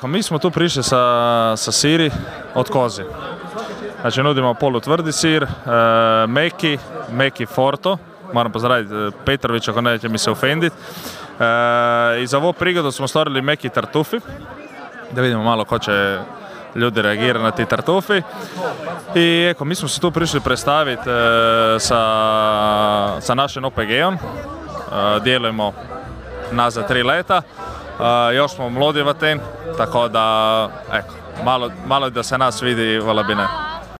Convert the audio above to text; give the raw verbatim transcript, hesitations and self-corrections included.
Eko, mi smo tu prišli sa, sa siri od kozi. Znači nudimo polutvrdi sir, e, meki, meki forto, moram pozdraviti Petrović ako neće mi se ofenditi. E, I za ovu prigodu smo stvorili meki tartufi, da vidimo malo ko će ljudi reagirati na ti tartufi. I eko, mi smo se tu prišli predstaviti e, sa, sa našim O P G-om, e, djelujemo nazad tri leta, e, još smo mlodi vaten, tako da eko, malo, malo da se nas vidi, vala bi ne.